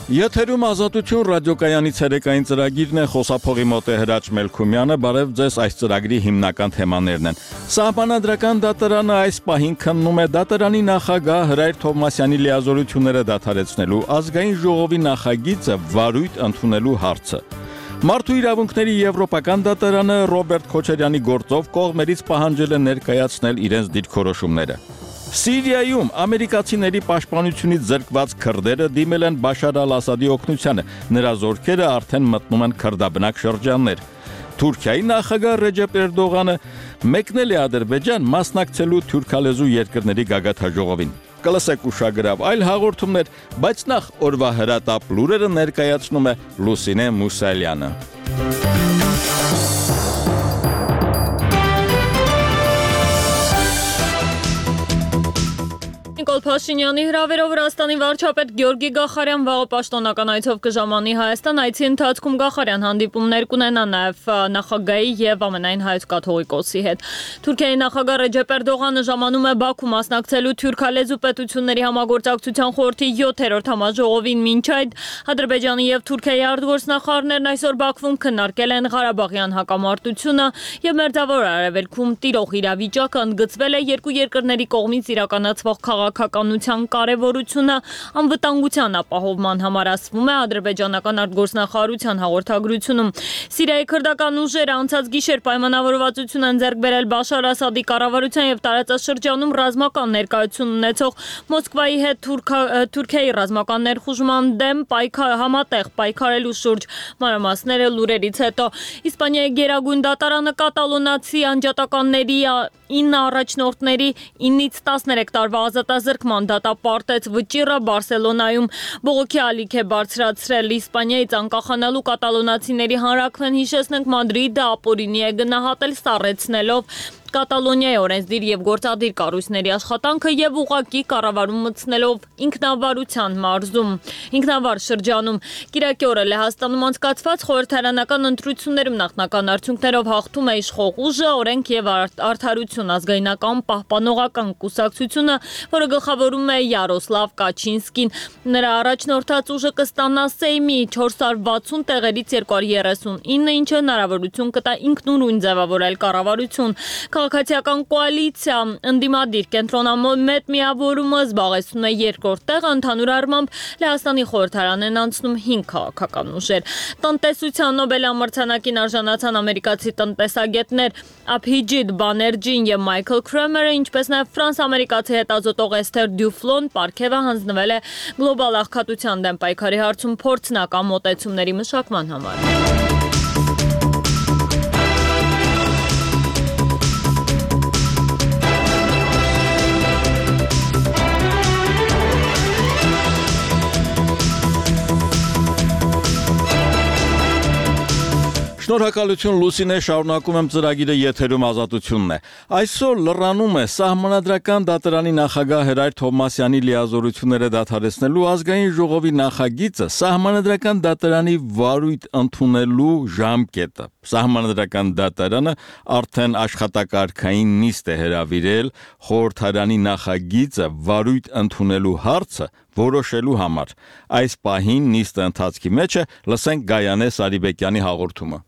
Եթերում ազատություն ռադիոկայանի ցերեկային ծրագիրն է, խոսափողի մոտ է Հրաչ Մելքումյանը, բարև ձեզ, այս ծրագրի հիմնական թեմաներն են։ Սահմանադրական դատարանը այս պահին քննում է դատարանի նախագահ Հրայր Թովմասյանի լիազորությունները դադարեցնելու ազգային ժողովի նախագիծը վարույթ ընդունելու հարցը։ Մարդու իրավունքների եվրոպական դատարանը Ռոբերտ Քոչարյանի գործով կողմերից պահանջել է ներկայացնել իրենց դիրքորոշումները։ Սիրիայում ամերիկացիների պաշտպանությունից զրկված քրդերը դիմել են Բաշար ալ-Ասադի օգնությանը, նրա զորքերը արդեն մտնում են քրդաբնակ շրջաններ։ Թուրքիայի նախագահ Ռեջեփ Էրդողանը մեկնել է Ադրբեջան մասնակցելու թուրքալեզու երկրների գագաթնաժողովին։ Կլսեք ուշագրավ այլ հաղորդումներ, բայց նախ օրվա հրատապ լուրերը ներկայացնում է Լուսինե Մուսալյանը։ Նիկոլ Փաշինյանի հրավերով Վրաստանի վարչապետ Գյորգի Գախարյան վաղը պաշտոնական այցով կժամանի Հայաստան, այցի ընթացքում Գախարյան հանդիպումներ կունենա նաև նախագահի եւ ամենայն հայոց կաթողիկոսի հետ։ Թուրքիայի նախագահ Ռեջեփ Էրդողանը ժամանում է Բաքու մասնակցելու թուրքալեզու պետությունների համագործակցության խորհրդի 7-րդ համաժողովին, մինչ այդ Ադրբեջանի եւ Թուրքիայի արտգործնախարարներն այսօր Բաքվում քննարկել են Ղարաբաղյան հակամարտությունը եւ Մերձավոր Արևելքում տիրող իրավիճակը, ընդգծվել է երկու երկրների կողմից իրականացվող քաղաքականության կարևորությունը, անվտանգության ապահովման համար, ասվում է ադրբեջանական արտգործնախարարության հաղորդագրությունում։ Սիրիայի քրդական ուժերը անցած գիշեր պայմանավորվածություն են ձեռք բերել Բաշար Ասադի կառավարության եւ տարածաշրջանում ռազմական ներկայություն ունեցող Մոսկվայի հետ Թուրքիայի ռազմական ներխուժման դեմ համատեղ պայքարելու շուրջ։ Մանրամասները լուրերից հետո Իսպանիայի գերագույն դատարանը կատալոնացի անջատականների 9 առաջնորդների 9-ից 13 տարվա ազատազրկման դատապարտեց վճիռը Բարսելոնայում բողոքի ալիք է բարձրացրել Իսպանիայից անկախանալու կատալոնացիների հանրաքվեն, հիշեցնենք, Մադրիդը ապօրինի է գնահատել, սառեցնելով Կատալոնիայի օրենսդիր եւ գործադիր կառույցների աշխատանքը եւ ուղղակի կառավարում մտցնելով ինքնավարության մարզում, ինքնավար շրջանում։ Կիրակի օրը Լեհաստանում անցկացված խորհրդարանական ընտրություններում նախնական արդյունքներով հաղթում է իշխող ուժը Օրենք եւ Արդարություն ազգայնական պահպանողական կուսակցությունը, որը գլխավորում է Յարոսլավ Կաչինսկին։ Նրա առաջնորդած ուժը կստանա Սեյմի 460 տեղերից 239, ինչը հնարավորություն կտա ինքնուրույն ձևավորել կառավարություն։ Քաղաքացիական կոալիցիա ընդդիմադիր կենտրոնամետ միավորումը զբաղեցնում է երկրորդ տեղը, ընդհանուր առմամբ Լեհաստանի խորհրդարան են անցնում 5 քաղաքական ուժեր։ Տնտեսության Նոբել ամրցանակին արժանացան ամերիկացի տնտեսագետներ Աբհիջիտ Բաներջին եւ Մայքլ Քրեմերը, ինչպես նաեւ ֆրանս-ամերիկացի հետազոտող Էսթեր Դյուֆլոն պարգևը հանձնվել է գլոբալ աղքատության դեմ պայքարի հարցում փորձնական մոտեցումների մշակման համար։ Շնորհակալություն Լուսինե, շարունակում եմ ծրագիրը, եթերում ազատությունն է։ Այսօր լրանում է Սահմանադրական դատարանի նախագահ Հրայր Թովմասյանի լիազորությունները դադարեցնելու ազգային ժողովի նախագիծը Սահմանադրական դատարանի վարույթ ընդունելու ժամկետը։ Սահմանադրական դատարանը արդեն աշխատակարգային նիստ է հրավիրել խորհրդարանի նախագիծը վարույթ ընդունելու հարցը որոշելու համար։ Այս պահին նիստը ընթացքի մեջ է, լսենք Գայանե Սարիբեկյանի հաղորդումը։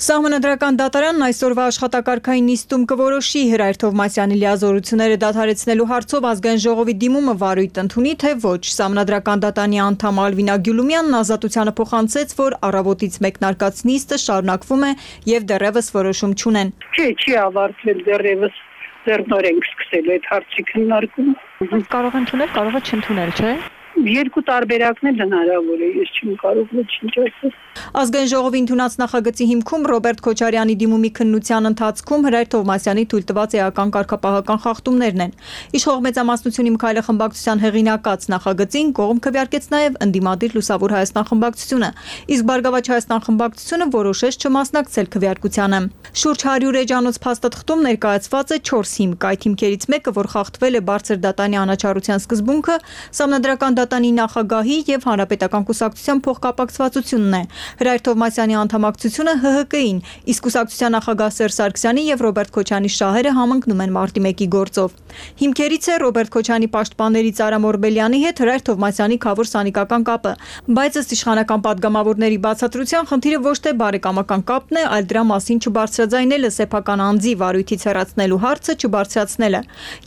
Սահմանադրական դատարանն այսօրվա աշխատակարգային նիստում կորոշի Հրայր Թովմասյանի լիազորությունները դադարեցնելու հարցով ազգային ժողովի դիմումը վարույթ ընդունի, թե ոչ։ Սահմանադրական դատարանի անդամ Ալվինա Գյուլումյանն ազատությանը փոխանցեց, որ առավոտից մեկնարկած նիստը շարունակվում է եւ դեռևս որոշում չունեն։ Չի ավարտվել դեռևս, դեռ նոր ենք սկսել այդ հարցի քննարկումը։ Կարող են ընդունել, կարող է չընդունել, չէ՞։ Երկու տարբերակն էլ հնարավոր է, ես չեմ կարող ոչինչ ասել։ Ազգային ժողովի ընդունած նախագծի հիմքում Ռոբերտ Քոչարյանի դիմումի քննության ընթացքում Հրայր Թովմասյանի թույլտված էական կարգապահական խախտումներն են։ Իշխող մեծամասնությունի Մքայլը խմբակցության հեղինակած նախագծին կողմ քվեարկեց նաև ընդդիմադիր Լուսավոր Հայաստան խմբակցությունը, իսկ Բարգավաճ Հայաստան խմբակցությունը որոշեց չմասնակցել քվեարկությանը։ Շուրջ 100 էջանոց փաստաթղթում ներկայացված է 4 հիմք, այդ հիմքերից մեկը, որ խախտվել է բարձր դատանի անաչառության սկզբունքը, Սահմանադրական դատարանի նախագահի եւ Հանրապետական կուսակցության փոխկապակցվածությունն է։ Հրայր Թովմասյանի անդամակցությունը ՀՀԿ-ին, իսկ կուսակցության նախագահ Սերժ Սարգսյանի եւ Ռոբերտ Քոչարյանի շահերը համընկնում են մարտի 1-ի գործով։ Հիմքերից է Ռոբերտ Քոչարյանի պաշտպաններից Արամ Օրբելյանի հետ Հրայր Թովմասյանի քավոր սանիկական կապը, բայց ըստ իշխանական падգամավորների բացատրության խնդիրը ոչ թե բարեկամական կապն է, այլ դրա մասին չբարձրաձայնելը, սեփական անձի վարույթից հեռացնելու հարցը չբարձրացնելը։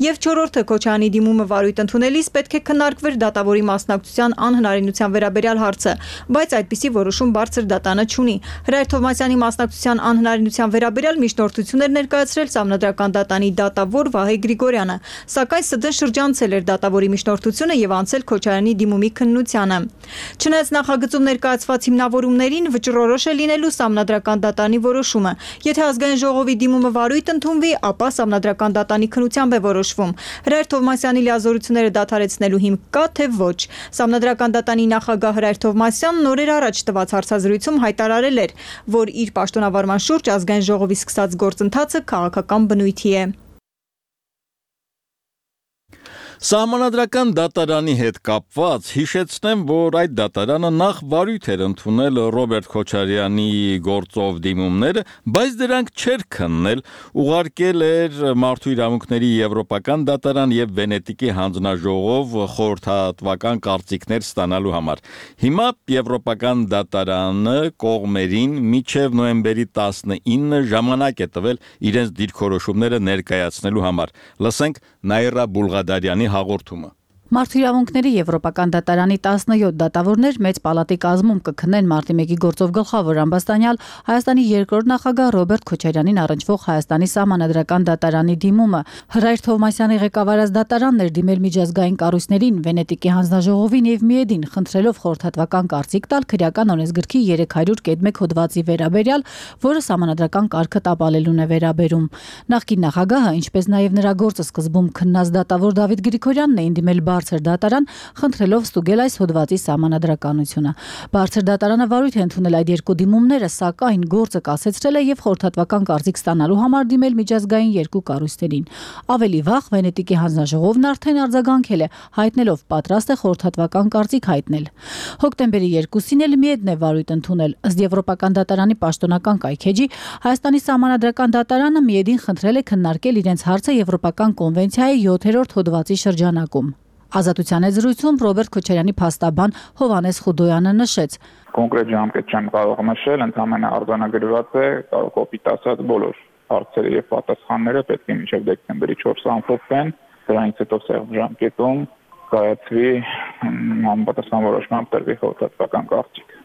Եվ չորրորդը Քոչարյանի դիմումը վարույթ ընդունելիս պետք է քննարկվեր դատավորի մասնակցության անհնարինության վերաբերյալ հարցը, բայց այդպիսի որոշում բարձր դատանը չունի։ Հրայր Թովմասյանի մասնակցության անհնարինության վերաբերյալ միջնորդություններ ներկայացրել Սահմանադրական դատանի դատավոր Վահե Գրիգորյանը, սակայն ՍԴ շրջանցել էր դատավորի միջնորդությունը եւ անցել Քոչարյանի դիմումի քննությանը։ Չնայած նախագծում ներկայացված հիմնավորումներին վճռորոշ է լինելու Սահմանադրական դատանի որոշումը։ Եթե ազգային ժողովի դիմումը վարույթ ընդունվի, ապա Սահմանադրական դատանի քննությամբ է որոշվում։ Հրայր Թովմասյանի լիազորությունները դադարեցնելու հիմք կա, թե ոչ։ Սահմանադրական դատանի նախագահ Հրայր Թովմասյանն օրեր առաջ տված հարցազրույցում հայտարարել էր, որ իր պաշտոնավարման շուրջ ազգային ժողովի սկսած գործընթացը քաղաքական բնույթի է։ Սահմանադրական դատարանի հետ կապված հիշեցնեմ, որ այդ դատարանը նախ վարույթ էր ընդունել Ռոբերտ Քոչարյանի գործով դիմումները, բայց դրանք չէր քննել, ուղարկել էր Մարդու իրավունքների Եվրոպական դատարան եւ Վենետիկի հանձնաժողով խորհրդատվական կարծիքներ ստանալու համար։ Հիմա Եվրոպական դատարանը կողմերին մինչև նոյեմբերի 19 ժամանակ է տվել իրենց դիրքորոշումները ներկայացնելու համար։ Լսենք Նաիրա Բուլղադարյանի հաղորդումը։ Մարդու իրավունքների Եվրոպական դատարանի 17 դատավորներ մեծ պալատի կազմում կքննեն մարտի 1-ի գործով գլխավոր ամբաստանյալ Հայաստանի երկրորդ նախագահ Ռոբերտ Քոչարյանին առնչվող Հայաստանի Սահմանադրական դատարանի դիմումը։ Հրայր Թովմասյանի ղեկավարած դատարանն էր դիմել միջազգային կառույցներին, Վենետիկի հանձնաժողովին եւ ՄԻԵԴ-ին, խնդրելով խորհրդատվական կարծիք տալ քրեական օրենսգրքի 300.1 հոդվածի վերաբերյալ, որը Սահմանադրական կարգը տապալելուն է վերաբերում։ Նախկին նախագահը, ինչպես նաեւ նրա գործը սկզբում քննած դատավոր Դավիթ Գրիգորյանն էին դիմել Բարձր դատարան, խնդրելով ստուգել այս հոդվածի սահմանադրականությունը։ Բարձր դատարանը վարույթ է ընդունել այդ երկու դիմումները, սակայն գործը կասեցրել է եւ խորհրդատվական կարծիք ստանալու համար դիմել միջազգային երկու կառույցներին։ Ավելի վաղ Վենետիկի հանձնաժողովն արդեն արձագանքել է, հայտնելով պատրաստ է խորհրդատվական կարծիք հայտնել։ Հոկտեմբերի 2-ին էլ ՄԻԵԴ-ն է վարույթ ընդունել։ Ըստ Եվրոպական դատարանի պաշտոնական կայքեջի, Հայաստանի Սահմանադրական դատարանը ՄԻԵԴ-ին խնդրել է քննարկել իրենց հարցը Եվրոպական կոնվենցիայի 7-րդ հոդվածի շրջանակում։ Ազատության զրույցում Ռոբերտ Քոչարյանի փաստաբան Հովհաննես Խուդոյանը նշեց. Կոնկրետ ժամկետ չեմ կարող նշել, ընդհանրապես արձանագրված է, կոպիտ ասած բոլոր հարցերը եւ պատասխանները պետք է մինչեւ դեկտեմբերի 4-ը ամփոփվեն, դրանից հետո սեղմ ժամկետում կայացվի համապատասխան որոշման տրվի խորհրդատվական կարծիք։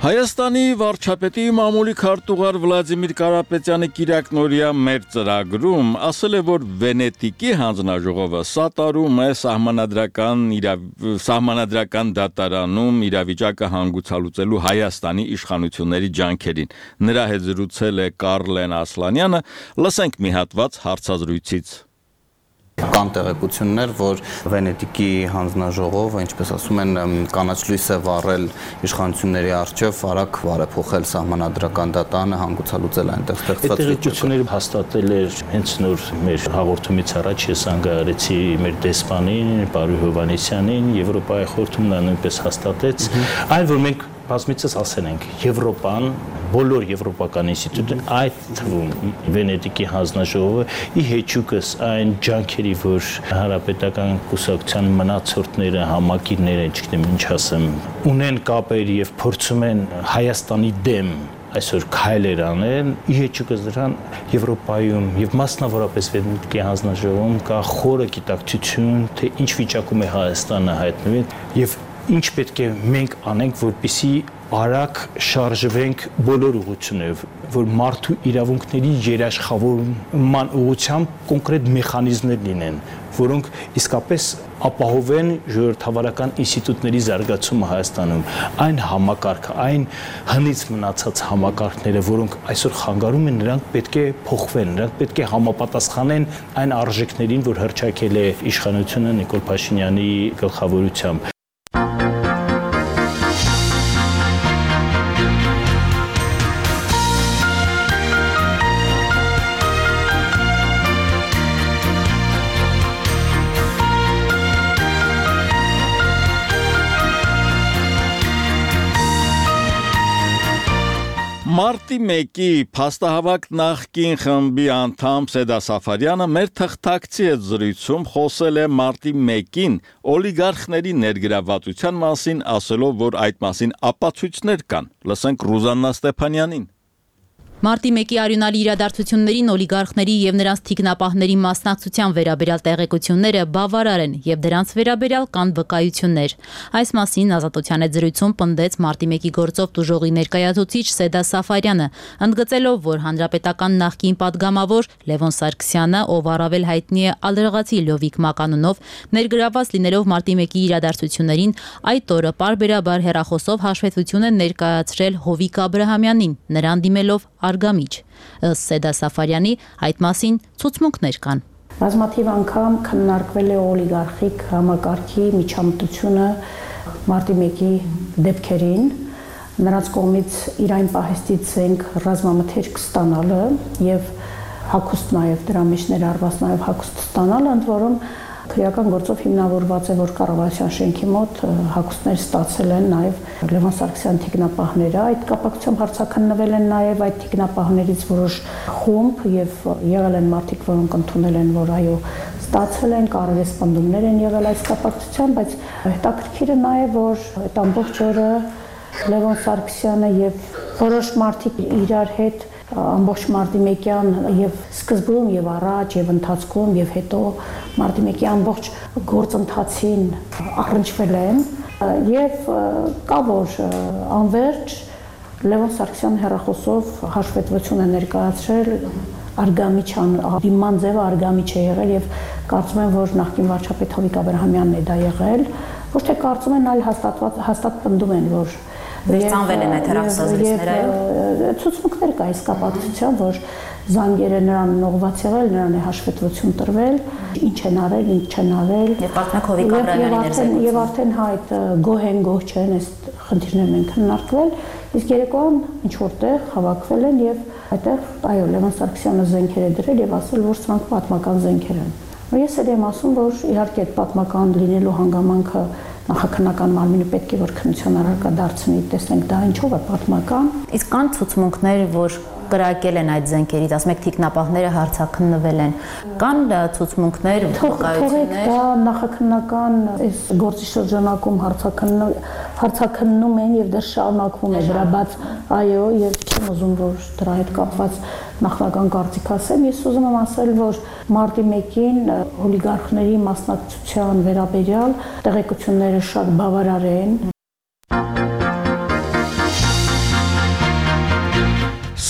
Հայաստանի վարչապետի մամուլի քարտուղար Վլադիմիր Կարապետյանը Կիրակնորիա մեր ծրագրում ասել է, որ Վենետիկի հանձնաժողովը սատարում է սահմանադրական դատարանում իրավիճակը հանգուցալուծելու Հայաստանի իշխանությունների ջանքերին։ Նրա հետ զրուցել է Կարլեն Ասլանյանը, լսենք մի հատված հարցազրույցից։ Կան տեղեկություններ, որ Վենետիկի հանձնաժողովը, ինչպես ասում են, կանաչ լույս է վառել իշխանությունների առջև, արագ բարեփոխել սահմանադրական դատարանը, հանգուցալուծել այնտեղ ստեղծված վիճակը։ Այդ տեղեկությունները հաստատել էր հենց նոր մեր հաղորդումից առաջ ես անգարեցի մեր դեսպանին, Պարույ Հովհաննիսյանին, Եվրոպայի խորհրդում նա նույնպես հաստատեց, այն որ մենք բազմիցս ասել ենք, Եվրոպան, բոլոր եվրոպական ինստիտուտները, այդ թվում Վենետիկի հանձնաժողովը ի հեճուկս այն ջանքերի, որ հանրապետական կուսակցության մնացորդները, համակիրները, չգիտեմ ինչ ասեմ, ունեն կապեր եւ փորձում են Հայաստանի դեմ այսօր քայլեր անեն, ի հեճուկս դրան Եվրոպայում եւ մասնավորապես Վենետիկի հանձնաժողովում կա խորը գիտակցություն, թե ինչ վիճակում է Հայաստանը հայտնվի եւ ինչ պետք է մենք անենք, որպեսզի արագ շարժվենք բոլոր ուղղություններով, որ մարդու իրավունքների երաշխավորման ուղղությամբ կոնկրետ մեխանիզմներ լինեն, որոնք իսկապես ապահովեն ժողովրդավարական ինստիտուտների զարգացումը Հայաստանում, այն համակարգը, այն հնից մնացած համակարգները, որոնք այսօր խանգարում են, նրանք պետք է փոխվեն, նրանք պետք է համապատասխանեն այն արժեքներին, որ հռչակել է իշխանությունը Նիկոլ Փաշինյանի գլխավորությամբ։ Մարտի 1-ի փաստահավաք նախկին խմբի անդամ Սեդա Սաֆարյանը մեր թղթակցի հետ զրույցում խոսել է մարտի 1-ին օլիգարխների ներգրավվածության մասին, ասելով, որ այդ մասին ապացույցներ կան։ Լսենք Ռուզաննա Ստեփանյանին։ Մարտի 1-ի արյունալի իրադարձություններին օլիգարխների եւ նրանց թիկնապահների մասնակցության վերաբերյալ տեղեկությունները բավարար են եւ դրանց վերաբերյալ կան վկայություններ։ Այս մասին Ազատության հետ զրույցում պնդեց մարտի 1-ի գործով տուժողի ներկայացուցիչ Սեդա Սաֆարյանը, ընդգծելով, որ հանրապետական նախկին падգամավոր Լևոն Սարգսյանը, ով առավել հայտնի է ալրղացի Լովիկ Մականունով, ներգրավված լինելով մարտի 1-ի իրադարձություններին, այդ օրը պարբերաբար հեռախոսով հաշվետվություն է ներկայացրել Հովիկ Աբրահամյանին, նրան դիմելով արգամիջ։ Ըստ Սեդա Սաֆարյանի այդ մասին ցուցմունքներ կան։ Բազմաթիվ անգամ քննարկվել է օլիգարխիկ համակարգի միջամտությունը մարտի 1-ի դեպքերին, նրանց կողմից իր այն պահեստից ենք ռազմամթերք ստանալը եւ հագուստ նաեւ դրա մեջ ներառված նաեւ հագուստ ստանալը, ընդ որում քրեական գործով հիմնավորված է, որ կառավարության շենքի մոտ հագուստներ ստացել են նաև Լևոն Սարգսյան թիկնապահները։ Այդ կապակցությամբ հարցաքննվել են նաև այդ թիկնապահներից որոշ խումբ եւ եղել են մարդիկ, որոնք ընդունել են, որ այո, ստացել են, կարևես պնդումներ են եղել այս կապակցությամբ, բայց հետաքրքիրը նաև, որ այդ ամբողջ օրը Լևոն Սարգսյանը եւ որոշ մարդիկ իրար հետ ամբողջ մարտի 1-յան եւ սկզբում եւ առաջ եւ ընթացքում եւ հետո մարտի 1-ի ամբողջ գործընթացին առնչվել են եւ կա որ անverջ Լևոն Սարգսյանը հեռախոսով հաշվետվություն է ներկայացրել արգամիջան դիման ձևը արգամիջ է եղել եւ կարծում եմ որ նախկին վարչապետ Հովիկ Աբրահամյանն է դա եղել ոչ թե կարծում են այլ հաստատ պնդում են որ Վերցանվել են այդ հեռախոսազրույցները, ցուցմունքներ կա այս կապակցությամբ, որ զանգերը նրան ուղղված եղել, նրան է հաշվետվություն տրվել, ինչ են արել, ինչ չեն արել։ Եվ կարծում եք Հովիկ Աբրահամյանի ներկայացուցիչ։ Եվ արդեն հայտ գոհ են, գոհ չեն, այս խնդիրներն են քննարկվել, իսկ երեկոյան ինչ որտեղ հավաքվել են եւ այդտեղ այո Լևոն Սարգսյանը զենքեր է դրել եւ ասել, որ սրանք պատմական զենքեր են։ Ես էլ եմ ասում, որ իհարկե այդ պատմական լինելու հանգամանքը նախաքննական մարմինը պետք է որ քննության առարկա դարձնի, տեսնենք դա ինչով է պատմական։ Իսկ կան ցուցմունքներ, որ կրակել են այդ զենքերից, ասում եք թիկնապահները հարցաքննվել են։ Կան ցուցմունքներ, վկայություններ։ Դա նախաքննական այս գործի շրջանակում հարցաքննում են եւ դեռ շարունակվում է դրա, բայց այո, եւ չեմ ուզում որ դրա հետ կապված նախնական կարծիք ասեմ, ես ուզում եմ ասել, որ մարտի 1-ին օլիգարխների մասնակցության վերաբերյալ տեղեկությունները շատ բավարար են։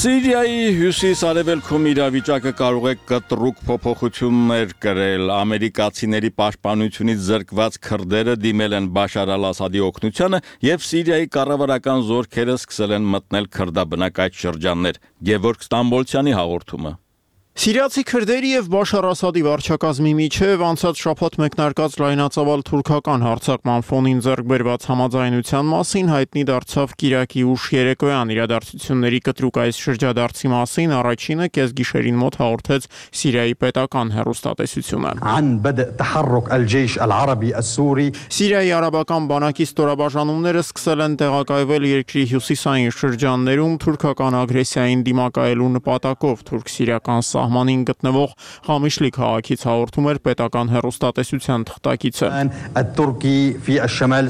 Սիրիայի հյուսիս-արևելքում իրավիճակը կարող է կտրուկ փոփոխություններ կրել։ Ամերիկացիների պաշտպանությունից զրկված քրդերը դիմել են Բաշար al-Ասադի օգնությանը եւ Սիրիայի կառավարական զորքերը սկսել են մտնել քրդաբնակ այդ շրջաններ։ Գևորգ Ստամբոլցյանի հաղորդումը։ Սիրիացի քրդերի եւ Բաշար Ասադի վարչակազմի միջև անցած շաբաթ մեկնարկած լայնածավալ թուրքական հարձակման ֆոնին ձեռք բերված համաձայնության մասին հայտնի դարձավ կիրակի ուշ երեկոյան իրադարձությունների կտրուկ այս շրջադարձի մասին առաջինը կեսգիշերին մոտ հաղորդեց Սիրիայի պետական հեռուստատեսությունը։ Սիրիայի արաբական բանակի ստորաբաժանումները սկսել են տեղակայվել երկրի հյուսիսային շրջաններում թուրքական ագրեսիային դիմակայելու նպատակով թուրք-սիրիական սահմանին գտնվող Խամիշլի քաղաքից հաղորդում էր պետական հեռուստատեսության թղթակիցը։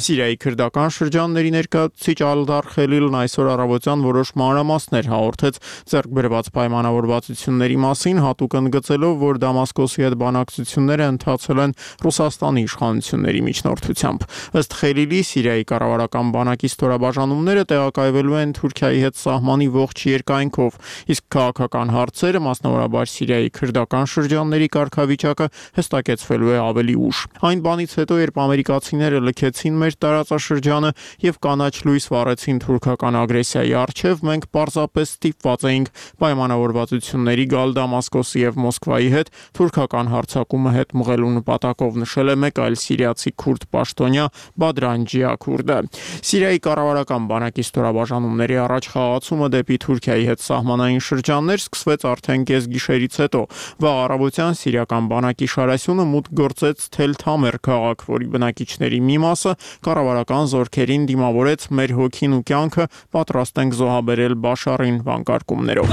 Սիրիայի քրդական շրջանների ներկայացուցիչ Ալդար Խելիլն այսօր առավոտյան որոշ մանրամասներ հաղորդեց ձեռք բերված պայմանավորվածությունների մասին, հատուկ ընդգծելով, որ Դամասկոսի հետ բանակցությունները ընթացել են Ռուսաստանի իշխանությունների միջնորդությամբ։ Ըստ Խելիլի, Սիրիայի կառավարական բանակի ստորաբաժանումները տեղակայվելու են Թուրքիայի հետ սահմանի ողջ երկայնքով, իսկ քաղաքական հարցերը, մասնավորաբար Սիրիայի քրդական շրջանների կարգավիճակը հստակեցվելու է ավելի ուշ։ Այն բանից հետո, երբ ամերիկացիները լքեցին մեր տարածաշրջանը եւ կանաչ լույս վառեցին թուրքական ագրեսիայի առջեւ, մենք պարզապես ստիպված էինք պայմանավորվածությունների գալ Դամասկոսի եւ Մոսկվայի հետ թուրքական հարձակումը հետ մղելու նպատակով, նշել է մեկ այլ սիրիացի քուրդ պաշտոնյա Բադրան Ջիաքուրդը։ Սիրիայի կառավարական բանակի ստորաբաժանումների առաջ խաղացումը դեպի Թուրքիայի հետ սահմանային շրջաններ սկսվեց արդեն կեսգիշեր խնդիրներից հետո։ Վաղ առավոտյան սիրիական բանակի շարասյունը մուտք գործեց Թել Թամեր քաղաք, որի բնակիչների մի մասը կառավարական զորքերին դիմավորեց «Մեր հոգին ու կյանքը պատրաստ ենք զոհաբերել Բաշարին» վանկարկումներով։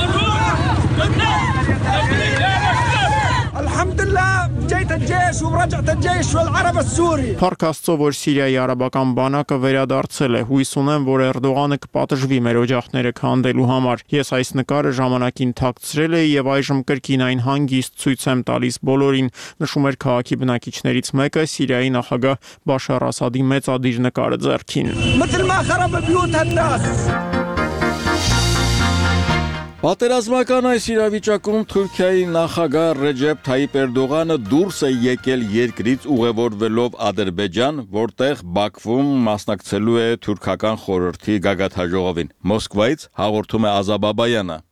Փառք Աստծո, որ Սիրիայի արաբական բանակը վերադարձել է։ Հույս ունեմ, որ Էրդողանը կպատժվի մեր օջախները քանդելու համար։ Ես այս նկարը ժամանակին թաքցրել էի եւ այժմ կրկին այն հանգիստ ցույց եմ տալիս բոլորին, նշում էր քաղաքի բնակիչներից մեկը Սիրիայի նախագահ Բաշար Ասադի մեծադիր նկարը ձեռքին։ Պատերազմական այս իրավիճակում Թուրքիայի նախագահ Ռեջեփ Թայիպ Էրդողանը դուրս է եկել երկրից ուղևորվելով Ադրբեջան, որտեղ Բաքվում մասնակցելու է թուրքական խորհրդի գագաթնաժողովին։ Մոսկվայից հաղորդում է Ազա Բաբայանը։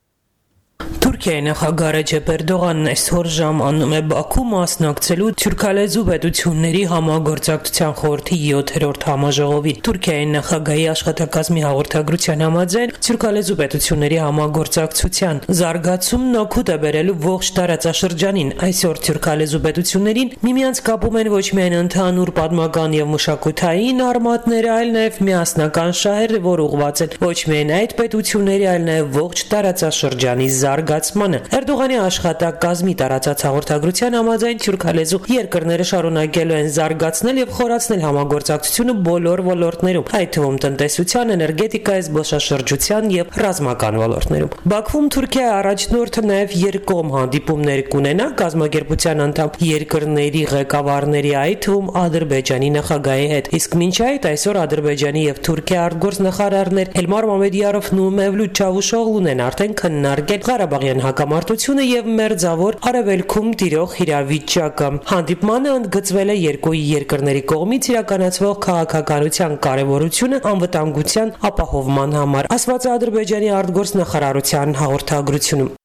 Թուրքիայի նախագահ Ռեջեփ Էրդողանն այսօր ժամանում է Բաքու մասնակցելու թուրքալեզու պետությունների համագործակցության խորհրդի 7-րդ համաժողովին։ Թուրքիայի նախագահի աշխատակազմի հաղորդագրության համաձայն թուրքալեզու պետությունների համագործակցության զարգացումն օգուտ է բերելու ողջ տարածաշրջանին։ Այսօր թուրքալեզու պետություններին միմյանց կապում են ոչ միայն ընդհանուր պատմական եւ մշակութային արմատները, այլ նաեւ միասնական շահերը, որ ուղղված են ոչ միայն այդ պետությունների, այլ նաեւ ողջ տարածաշրջանի զարգացմանը։ Էրդողանի աշխատակազմի տարածած հաղորդագրության համաձայն թուրքալեզու երկրները շարունակելու են զարգացնել եւ խորացնել համագործակցությունը բոլոր ոլորտներում, այդ թվում տնտեսության, էներգետիկայի, զբոսաշրջության եւ ռազմական ոլորտներում։ Բաքվում Թուրքիայի առաջնորդը նաեւ երկկողմ հանդիպումներ կունենա կազմակերպության անդամ երկրների ղեկավարների, այդ թվում Ադրբեջանի նախագահի հետ։ Իսկ մինչ այդ այսօր Ադրբեջանի եւ Թուրքիայի արտգործնախարարներ Էլմար Մամեդիարովն ու Մևլութ Չավուշօղլուն են արդեն քննարկել Ղարաբաղյան հակամարտությունը եւ մերձավոր արևելքում տիրող իրավիճակը։ Հանդիպմանը ընդգծվել է երկու երկրների կողմից իրականացվող քաղաքականության կարեւորությունը անվտանգության ապահովման համար, ասված է Ադրբեջանի արտգործնախարարության հաղորդագրությունում։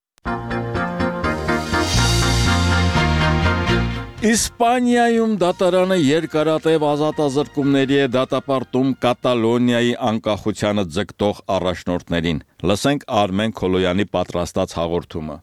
Իսպանիայում դատարանը երկարատև ազատազրկումների է դատապարտում Կատալոնիայի անկախությանը ձգտող առաջնորդներին։ Լսենք Արմեն Քոլոյանի պատրաստած հաղորդումը։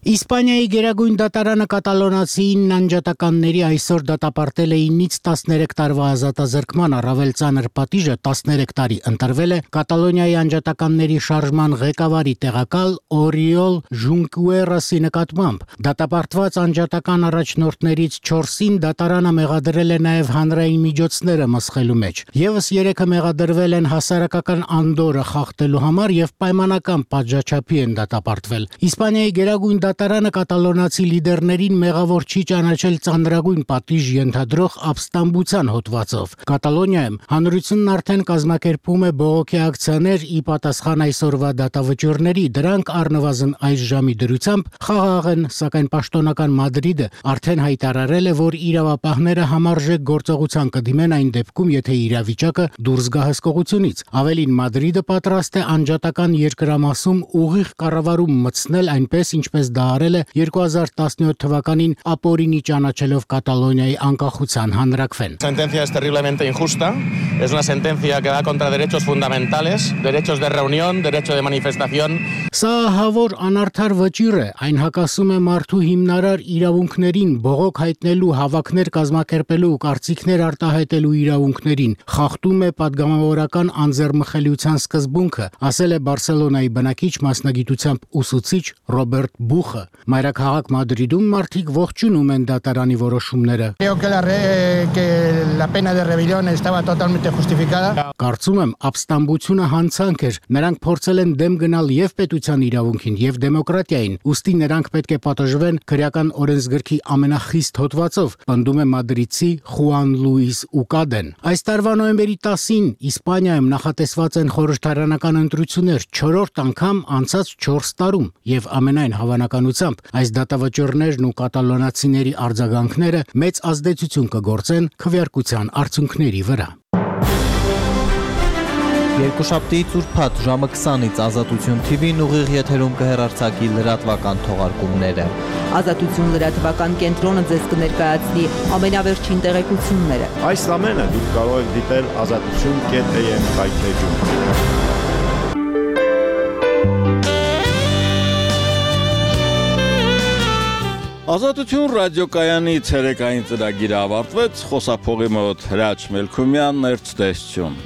Իսպանիայի գերագույն դատարանը կատալոնացի 9 անջատականների այսօր դատապարտել է 9-ից 13 տարվա ազատազրկման, առավել ծանր պատիժը 13 տարի ընտրվել է Կատալոնիայի անջատականների շարժման ղեկավարի տեղակալ Օրիոլ Ժունկուերասի նկատմամբ։ Դատապարտված անջատական առաջնորդներից 4-ին դատարանը մեղադրել է նաև հանրային միջոցները մսխելու մեջ։ Եվս 3-ը մեղադրվել են հասարակական անդորը խախտելու համար եւ պայմանական պատժաչափի են դատապարտվել։ Իսպանիայի գերագույն դատարանը կատալոնացի լիդերներին մեղավոր չի ճանաչել ծանրագույն պատիժ ենթադրող ապստամբության հոդվածով։ Կատալոնիայում հանրությունն արդեն կազմակերպում է բողոքի ակցիաներ ի պատասխան այսօրվա դատավճիռների, դրանք առնվազն այս ժամի դրությամբ խաղաղ են, սակայն պաշտոնական Մադրիդը արդեն հայտարարել է, որ իրավապահները համարժեք գործողության կդիմեն այն դեպքում, եթե իրավիճակը դուրս գա հսկողությունից։ Ավելին, Մադրիդը պատրաստ է անջատական երկրամասում ուղիղ կառավարում մտցնել, այնպես ինչպես դա արել է 2017 թվականին ապօրինի ճանաչելով Կատալոնիայի անկախության հանրաքվեն։ Sentencia es terriblemente injusta. Es una sentencia que va contra derechos fundamentales, derechos de reunión, derecho de manifestación. Սա հավոր անարդար վճիռ է, այն հակասում է մարդու հիմնարար իրավունքներին, բողոք հայտնելու, հավաքներ կազմակերպելու, կարծիքներ արտահայտելու իրավունքներին, խախտում է պատգամավորական անձեռմխելիության սկզբունքը, ասել է Բարսելոնայի բնակիչ մասնագիտությամբ ուսուցիչ Ռոբերտ Բուխը։ Մայրաքաղաք Մադրիդում մարդիկ ողջունում են դատարանի որոշումները։ Կարծում եմ, ապստամբությունը հանցանք էր։ Նրանք փորձել են դեմ գնալ եւ պետության իրավունքին եւ դեմոկրատիային, ուստի նրանք պետք է պատժվեն քրեական օրենսգրքի ամենախիստ հոդվածով, պնդում է մադրիդցի Խուան Լուիս Ուկադեն։ Այս տարվա նոյեմբերի 10-ին Իսպանիայում նախատեսված են խորհրդարանական ընտրություններ 4-րդ անգամ անցած 4 տարում եւ ամենայն հավանականությամբ այս դատավճիռներն ու կատալոնացիների արձագանքները մեծ ազդեցություն կգործեն քվեարկության արդյունքների վրա։ Երկուշաբթի ծուրփաթ ժամը 20-ից Ազատություն TV-ն ուղիղ եթերում կհեռարձակի լրատվական թողարկումները։ Ազատություն լրատվական կենտրոնը ձեզ կներկայացնի ամենավերջին տեղեկությունները։ Այս ամենը դուք կարող եք դիտել azatutun.am հայթեջում։ Ազատություն ռադիոկայանի ցերեկային ծրագիրը ավարտվեց, խոսափողի մոտ Հրաչ Մելքումյան, ներծտեսություն։